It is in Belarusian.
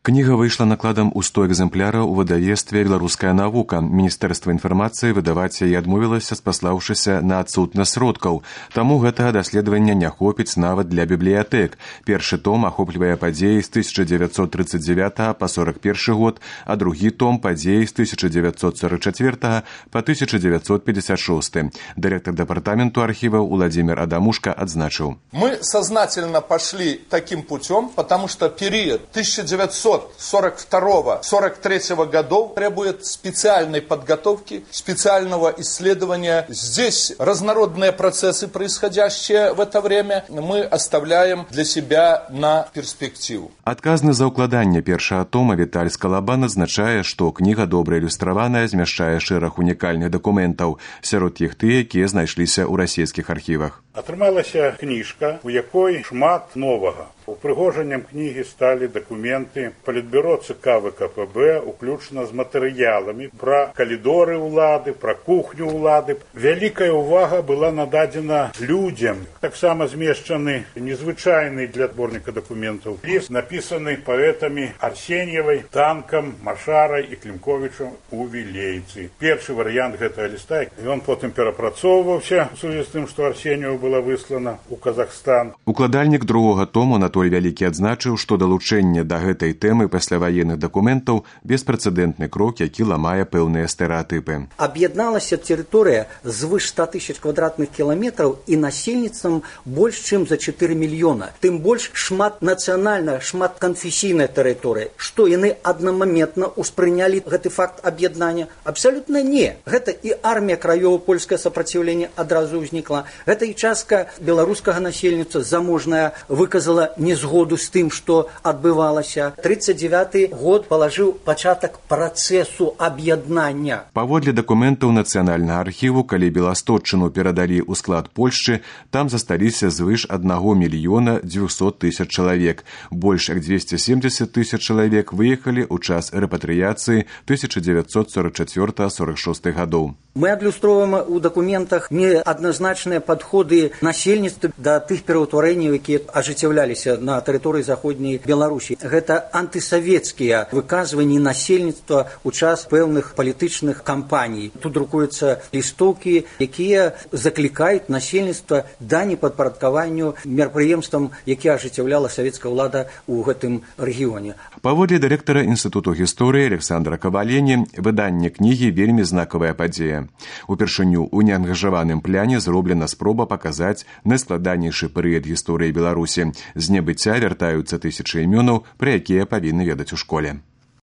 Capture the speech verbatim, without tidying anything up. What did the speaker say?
Кніга выйшла накладам у сто экземпляраў у выдавецтве «Беларуская навука». Міністэрства інфармацыі выдаваць яе адмовілася, спаслаўшыся на адсутнасць сродкаў. Таму гэтага даследавання не хопіць нават для бібліятэк. Першы том ахоплівае падзеі з тысяча дзевяцьсот трыццаць дзевятага па сорак першы год, а другі том падзеі з тысяча дзевяцьсот сорак чацвёртага па тысяча дзевяцьсот пятьдесят шосты. Дырэктар дэпартаменту архіваў Владимир Адамушка адзначыў. Мы сознательно пошли таким путем, потому что период тысяча девятьсот сорок второго — сорок третьего годов требует специальной подготовки, специального исследования. Здесь разнородные процессы, происходящие в это время, мы оставляем для себя на перспективу. Адказны за ўкладанне першага тома Віталь Скалабан адзначае, што кніга добра ілюстраваная, змяшчае шэраг унікальных дакументаў, сярод іх тыя, якія знайшліся ў расійскіх архівах. Атрымалася кніжка, у якой шмат новага. Упрыгожаннем кнігі сталі дакументы Палітбюро ЦК ВКПБ, уключна з матэрыяламі пра калідоры ўлады, пра кухню ўлады. Вялікая ўвага была нададзена людзям. Таксама змешчаны незвычайны для зборніка дакументаў ліст, напісаны паэтамі Арсеньевай, Танкам, Машарай і Клімковічам у Вілейцы. Першы варыянт гэтага ліста, ён потым перапрацоўваўся у сувязі з тым, што Арсеньева была выслана ў Казахстан. Укладальнік другога тому Анатоль Вялікі адзначыў, што далучэнне да гэтай тэмы пасляваенных дакументаў беспрэцэдэнтны крок, які ламае пэўныя стэрэатыпы. Аб'ядналася тэрыторыя звыш ста тысяч квадратных кіламетраў і насельніцтвам больш чым за чатыры мільёна. Тым больш шматнацыянальная, шматканфесійная тэрыторыя. Што яны аднамаментна ўспрынялі гэты факт аб'яднання? Абсалютна не. Гэта і армія краёва польскае супраціўленне адразу ўзнікла. Гэта і частка беларускага насельніцтва заможная выказала незгоду з тым, што адбывалася. трыццаць дзевяты год палажыў пачатак працэсу аб'яднання. Паводле дакументаў Нацыянальнага архіву, калі Беластотчыну перадалі ў склад Польшчы, там засталіся звыш аднаго мільёна дзвюсот тысяч чалавек. Больш як дзвесце семдзесят тысяч чалавек выехалі ў час рэпатрыяцыі тысяча дзевяцьсот сорак чацвёртага — сорак шосты гадоў. Мы адлюстроўваем у дакументах неадназначныя падходы насельніцтва да тых пераўтварэнняў, якія ажыццяўляліся на тэрыторыі заходняй Беларусі. Гэта антысавецкія выказванні насельніцтва ў час пэўных палітычных кампаній. Тут друкуюцца лістоўкі, якія заклікаюць насельніцтва да непадпарадкаванню мерапрыемствам, якія ажыццяўляла савецкая ўлада ў гэтым рэгіёне. Паводле дырэктара Інстытуту гісторыі Александра Кавалені, выданне кнігі вельмі знакавая падзея. Упершыню ў неангажаваным пляне зроблена спроба паказаць найскладанейшы перыяд гісторыі Беларусі. З небыцця вяртаюцца тысячы імёнаў, пра якія павінны ведаць у школе.